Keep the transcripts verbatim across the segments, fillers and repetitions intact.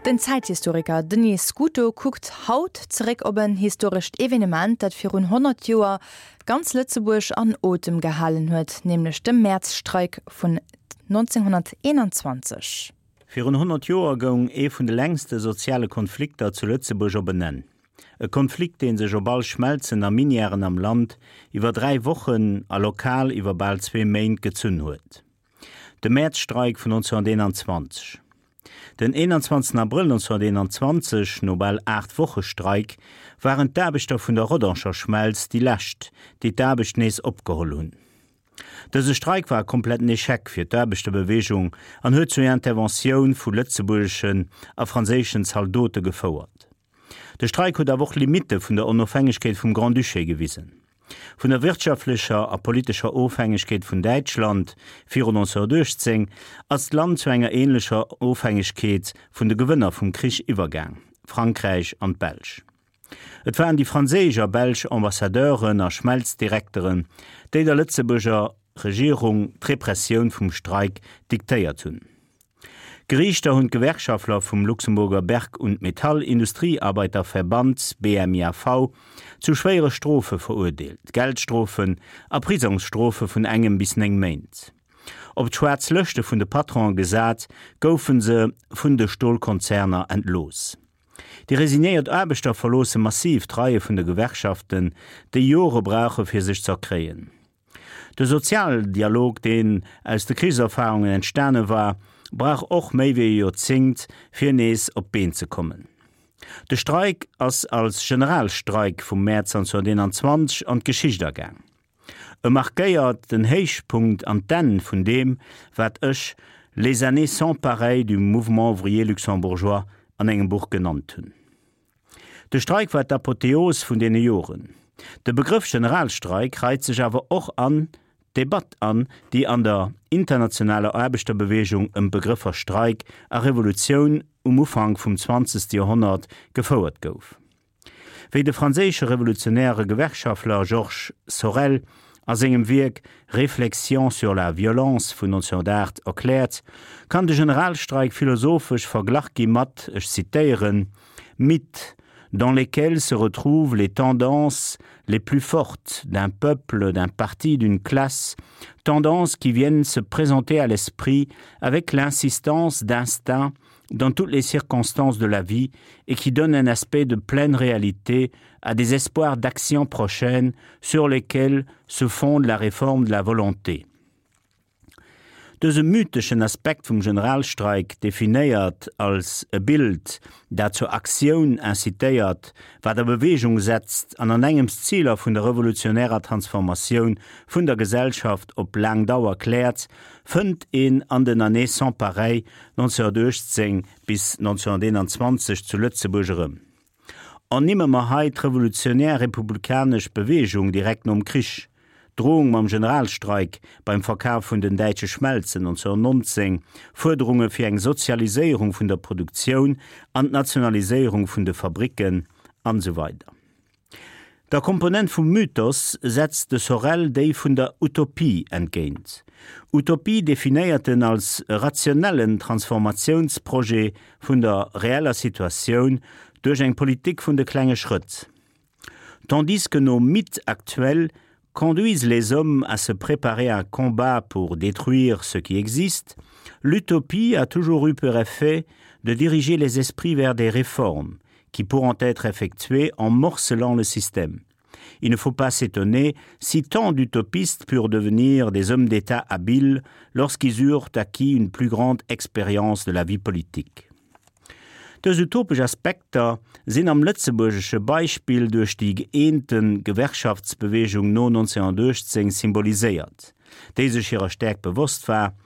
Den Zäithistoriker Denis Scuto kuckt haut zeréck op en historescht Evenement, dat virun honnert Joer ganz Lëtzebuerg an Otem gehalen huet, nämlech de Mäerzstreik vun nonzénghonnerteenanzwanzeg. Virun honnert Joer goung ee vun de längste soziale Konflikter zu Lëtzebuerg op en Enn. E Konflikt, dee sech op all Schmelzen a Minièren am Land iwwer dräi Wochen a lokal iwwer bal zwee Méint gezunn huet. De Mäerzstreik vun nonzénghonnerteenanzwanzeg. Den eenanzwanzegsten Abrëll nonzénghonnerteenanzwanzeg, no bal aacht Woche Streik, waren d'Aarbechter vun der Rodanger Schmelz déi lescht, déi d'Aarbecht nees opgeholl hunn. Dëse Streik war e kompletten Echec fir d'Aarbechterbeweegung an huet zur Interventioun vu lëtzebuergeschen a franséischen Zaldote gefouert. De Streik huet awer och Limitte vun der Onofhängegkeet vum Grand-Duché gewisen. Vun der wirtschaftlecher a politescher Ofhängegkeet vun Däitschland virun nonzénghonnertuechtzéng ass d'Land zu enger änlecher Ofhängegkeet vun de Gewënner vum Krich iwwergaang, Frankräich an d'Belsch. Et waren déi franséisch a belsch Ambassadeuren a Schmelzdirekteren, déi der Lëtzebuerger Regierung d'Repressioun vum Streik diktéiert hunn. Geriichter hunn d'Gewerkschaftler vum Luxemburger Berg- und Metallindustriearbeiterverband, B M I A V, zu schwéiere Strofe verurdeelt, Geldstrofen a Prisongsstrofe vun engem bis néng Méint. Op d'schwaarz Lëschte vun de Patronen gesat, goufe se vun de Stolkonzerner entlooss. Déi resignéiert Aarbechter verloosse massiv d'Reie vun de Gewerkschaften, déi Jore brauche fir sech z'erkréien. De Sozialdialog, deen aus de Krichserfarungen entstane war, brauch och méi wéi e Joerzéngt, fir nees op d'Been ze kommen. De Streik ass als Generalstreik vum Mäerz nonzénghonnerteenanzwanzeg an d'Geschicht agaang. E markéiert den Héichpunkt an d'Enn vun deem, wat ech les années sans pareil du mouvement ouvrier luxembourgeois an engem Buch genannt hunn. De Streik war d'Apotheos vun deene Joren. De Begrëff Generalstreik reit sech awer och an d'Debatt an, déi an der internationaler Aarbechterbeweegung ëm d'Begrëffer Streik a Revolutioun um Ufank vum zwanzegste Joerhonnert gefouert gouf. Wéi de franséische revolutionäre Gewerkschaftler Georges Sorel a sengem Wierk Réflexions sur la violence vun nonzénghonnertaacht erkläert, kann de Generalstreik philosophesch verglach gi mat, ech zitéieren, mythes dans lesquels se retrouvent les tendances les plus fortes d'un peuple, d'un parti, d'une classe, tendances qui viennent se présenter à l'esprit avec l'insistance d'instinct dans toutes les circonstances de la vie et qui donnent un aspect de pleine réalité à des espoirs d'action prochaine sur lesquels se fonde la réforme de la volonté. Dëse mytheschen Aspekt vum Generalstreik, definéiert als e Bild, dat zur Aktioun incitéiert, wat a Beweegung setzt an an engems d'Ziler vun der revolutionärer Transformatioun vun der Gesellschaft op laang Dauer kläert, fënnt een an den Années sans pareil nonzénghonnertuechtzéng bis nonzénghonnerteenanzwanzeg zu Lëtzebuerg erëm. Ernimme mer hei d'revolutionär republikanesch Beweegung direkt nom Krich, Drohung mam Generalstreik beim Verkaf vun den däitsche Schmelzen nonzénghonnertnonzéng, Fuerderunge fir eng Sozialiséierung vun der Produktioun an d'Nationaliséierung vun de Fabricken an esou weider. Der Komponent vum Mythos setzt de Sorel déi vun der Utopie entgéint. Utopie definéiert en als rationellen Transformatiounsprojet vun der reeller Situatioun duerch eng Politik vun de klenge Schrëtt. Tandis que nos mythes actuels conduisent les hommes à se préparer à un combat pour détruire ce qui existe, l'utopie a toujours eu pour effet de diriger les esprits vers des réformes qui pourront être effectuées en morcelant le système. Il ne faut pas s'étonner si tant d'utopistes purent devenir des hommes d'État habiles lorsqu'ils eurent acquis une plus grande expérience de la vie politique. Dës utopesch Aspekter sinn am lëtzebuergesche Beispill duerch déi gëeente Gewerkschaftsbeweegung no nonzénghonnertuechtzéng symboliséiert, déi sech hirer Stäerkt bewosst war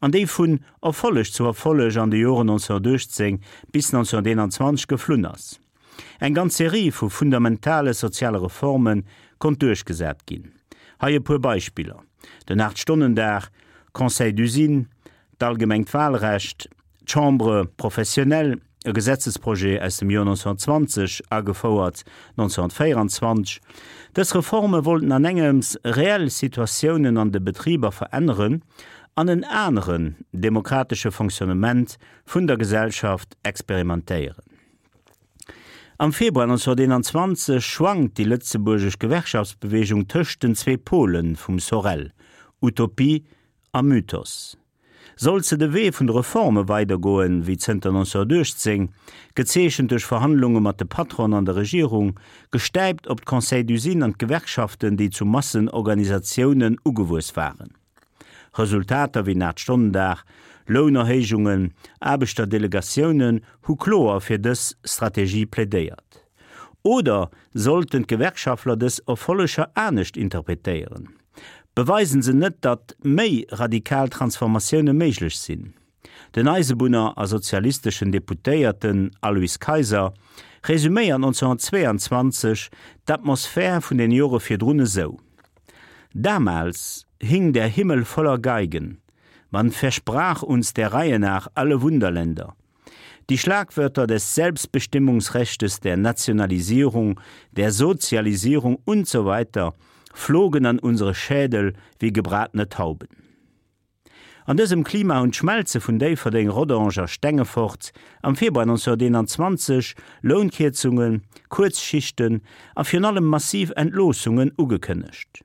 an déi vun Erfolleg zu Erfolleg an de Joren nonzénghonnertuechtzéng bis nonzénghonnerteenanzwanzeg geflunn ass. Eng ganz Serie vu fundamentale soziale Reforme konnt duerchgesat ginn. Hei e puer Beispiller, den Aacht-Stonnen-Dag, Conseil d'usine, d'allgemengt Wahlrecht, d'Chambre professionnelle, e Gesetzesprojet aus dem Joer nonzénghonnertzwanzeg, agefouert nonzénghonnertvéieranzwanzeg. Dës Reforme wollten an engems reell Situatiounen an de Betriber veränneren an en aneren demokratesche Fonctionnement vun der Gesellschaft experimentéieren. Am Februar neunzehnhunnerteenanzwanzeg schwankt déi lëtzebuergesch Gewerkschaftsbeweegung tëscht den zwee Pole vum Sorel, Utopie a Mythos. Sollt se de Wee vun de Reforme weidergoen, wéi zënter neunzehnhunnertuechtzéng, gezeechent duerch Verhandlunge mat de Patronen an der Regierung, gestäipt op d'Conseils d'usine an d'Gewerkschaften, déi zu Massenorganisatiounen ugewuess waren? Resultater wéi den Aacht-Stonnen-Dag, Lounerhéijungen, Aarbechterdelegatiounen hu kloer fir dës Strategie plädéiert. Oder sollten d'Gewerkschaftler dës Erfolleger anescht interpretéieren? Beweisen se net, datt méi radikal Transformatioune méiglech sinn? Den Eisebunner a sozialisteschen Deputéierten Alois Kayser resuméiert neunzehnhunnertzweiandzwanzeg d'Atmosphär vun den Jore virdrun esou, Damals hing der Himmel voller Geigen, man versprach uns der Reihe nach alle Wunderländer. Die Schlagwörter des Selbstbestimmungsrechtes, der Nationalisierung, der Sozialisierung und so weiter flogen an unsere Schädel wie gebratene Tauben. An dësem Klima hunn d'Schmelze vun Déifferdeng, Rodange a Stengefort am Februar neunzehnhunnerteenanzwanzeg Lounkierzungen, Kuerzschichten a virun allem massiv Entloossungen ugekënnegt.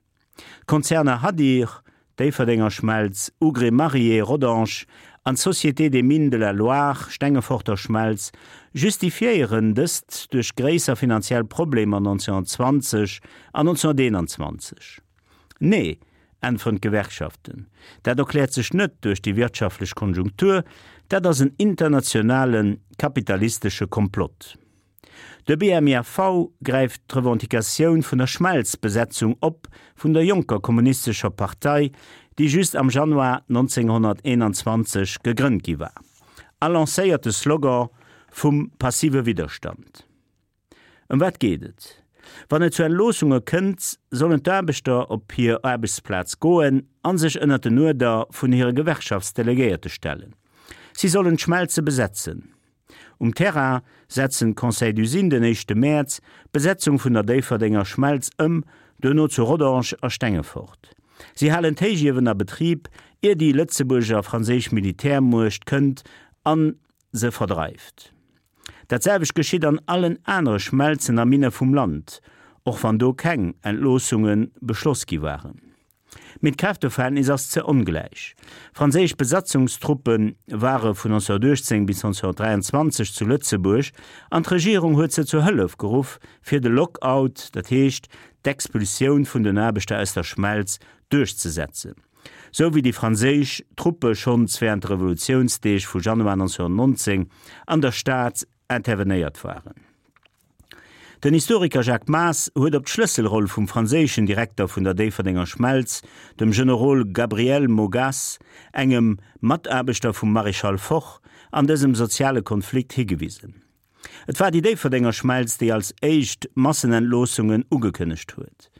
D'Konzerner Hadir, Déifferdenger Schmelz, Hougré-Marié, Rodange, an d'Société des Mines de la Loire, Stengeforter Schmelz, justifiéieren dëst duerch gréisser finanziell Problemer neunzehnhunnertzwanzeg an neunzehnhunnerteenanzwanzeg. Nee, äntweren d'Gewerkschaften, dat erkläert sech net duerch déi wirtschaftlech Konjunktur, dat ass en internationale kapitalistesche Komplott. De B M I A V gräift d'Revendicatioun vun der Schmelzbesetzung op vun der jonker kommunistescher Partei, déi just am Januar neunzehnhunnerteenanzwanzeg gegrënnt gi war, a lancéiert de Slogan vum passive Widderstand. Ëm wat geet et? Wann et zu Entloossunge kënnt, sollen d'Aarbechter op hir Aarbechtsplaz goen a sech ënnert den Uerder vun hire Gewerkschaftsdelegéierte stellen. Si sollen d'Schmelze besetzen. Um Terrain setzen d'Conseils d'usine den éischte Mäerz d'Besetzung vun der Déifferdenger Schmelz ëm, duerno zu Rodange a Stengefort. Si halen d'Héichiewen a Betrib, ier déi lëtzebuerger a franséisch Militärmuecht kënnt a se verdreift. Dat selwecht geschitt an allen anere Schmelzen a Minne vum Land, och wann do keng Entloossunge beschloss gi waren. Mee d'Kräfteverhältnis ass ze ongläich. Franséisch Besatzungstruppe ware vun neunzehnhunnertuechtzéng bis neunzehnhunnertdräianzwanzeg zu Lëtzebuerg an d'Regierung huet se zur Hëllef geruff, fir de Lockout, dat heescht d'Expulsioun vun den Aarbechter aus der Schmelz, duerchzesetzen, sou wéi déi franséisch Truppe schonns wärend de Revolutiounsdeeg vu Januar neunzehnhunnertnonzéng an der Stad intervenéiert waren. Den Historiker Jacques Maas huet op d'Schlësselroll vum franséischen Direkter vun der Déifferdenger Schmelz, dem Generol Gabriel Mogas, engem Mataarbechter vum Maréchal Foch, an dësem soziale Konflikt higewisen. Et war déi Déifferdenger Schmelz, déi als éischt Massenentloossungen ugekënnegt huet.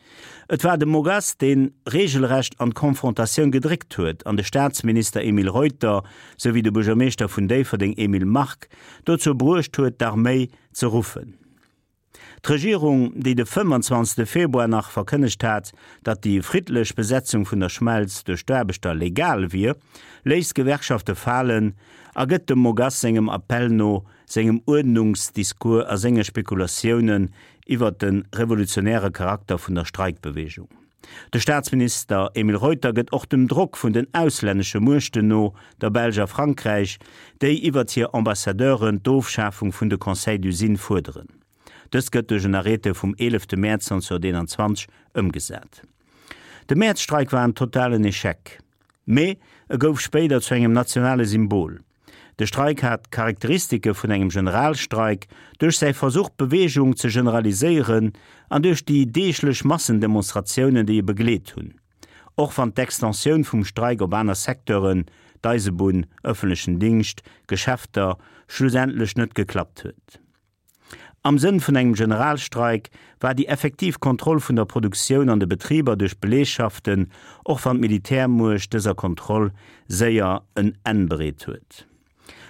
Et war de Mogas, dee reegelrecht an d'Konfrontatioun gedréckt huet an de Staatsminister Emile Reuter souwéi de Buergermeeschter vun Déifferdeng Emile Mark dozou bruecht huet, d'Arméi ze ruffen. D'Regierung, déi de fëmmanzwanzegste Februar nach verkënnegt hat, datt déi friddlech Besetzung vun der Schmelz duerch d'Aarbechter legal wier, léisst d'Gewerkschafte falen a gëtt dem Mogas sengem Appell no, sengem Uerdnungsdiscours a senge Spekulatiounen iwwer de revolutionäre Charakter vun der Streikbeweegung. De Staatsminister Emile Reuter gëtt och dem Drock vun den auslännesche Muechten no, der Belsch a Frankräich, déi iwwer hir Ambassadeuren d'Ofschafung vun de Conseils d'usine fuerderen. Dëst gëtt duerch en Arrêté vum eelefte Mäerz neunzehnhunnerteenanzwanzeg ëmgesat. De Mäerzstreik war en totalen Echec, mee e gouf spéider zu engem nationale Symbol. De Streik hat d'Charakteristike vun engem Generalstreik duerch säi Versuch d'Beweegung ze generaliséieren an duerch déi deeglech Massendemonstratiounen, déi e begleet hunn. Och wann d'Extensioun vum Streik op aner Secteuren, d'Eisebunn, ëffentlechen Dingscht, Geschäfter, schlussendlech net geklappt huet. Am Sënn vun engem Generalstreik war déi effektiv Kontroll vun der Produktioun an de Betriber duerch d'Belegschaften, och wann d'Militärmuecht dëser Kontroll séier en Enn bereet huet.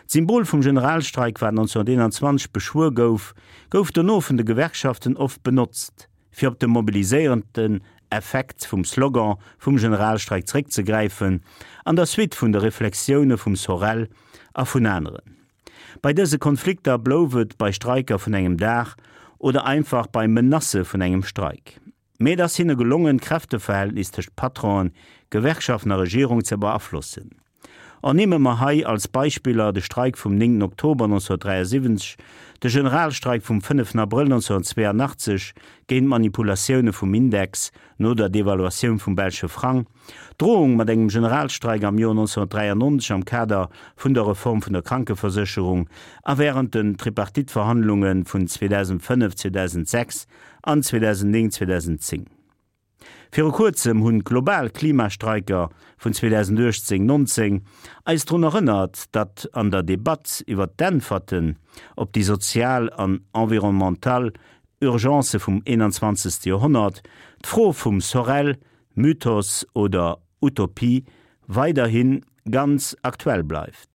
D'Symbol vum Generalstreik, wat neunzehnhunnerteenanzwanzeg beschwuer gouf, gouf dono vun de Gewerkschaften oft benotzt, fir op de mobiliséierenden Effekt vum Slogan vum Generalstreik zeréckzegräifen, an der Suite vun de Reflexioune vum Sorel a vun aneren. Bei dëse Konflikter blouf et bei Streiker vun engem Dag oder einfach bei Menacë vun engem Streik. Mee et ass hinne gelongen, d'Kräfteverhältnis tëscht Patronen, Gewerkschaften a Regierung ze beaflossen. Ernimme mer hei als Beispiller de Streik vum néngten Oktober neunzehnhunnertdräiasiwwenzeg, de Generalstreik vum fënneften Abrëll neunzehnhunnertzweianachtzeg géint d'Manipulatioune vum Index no der Devaluatioun vum belsche Frang, d'Drohung mat engem Generalstreik am Joer neunzehnhunnertdräiannonzeg am Kader vun der Reform vun der Krankeversécherung a wärend den Tripartite-Verhandlunge vun zweedausendfënnef, zweedausendsechs an zweedausendnéng, zweedausendzéng. Viru kuerzem hunn d'global Klimastreiker vun zweedausenduechtzéng, nonzéng eis drun erënnert, datt an der Debatt iwwer d'Äntwerten op déi sozial an environnemental Urgencë vum eenanzwanzegste Joerhonnert d'Fro vum Sorel, Mythos oder Utopie, weiderhi ganz aktuell bleift.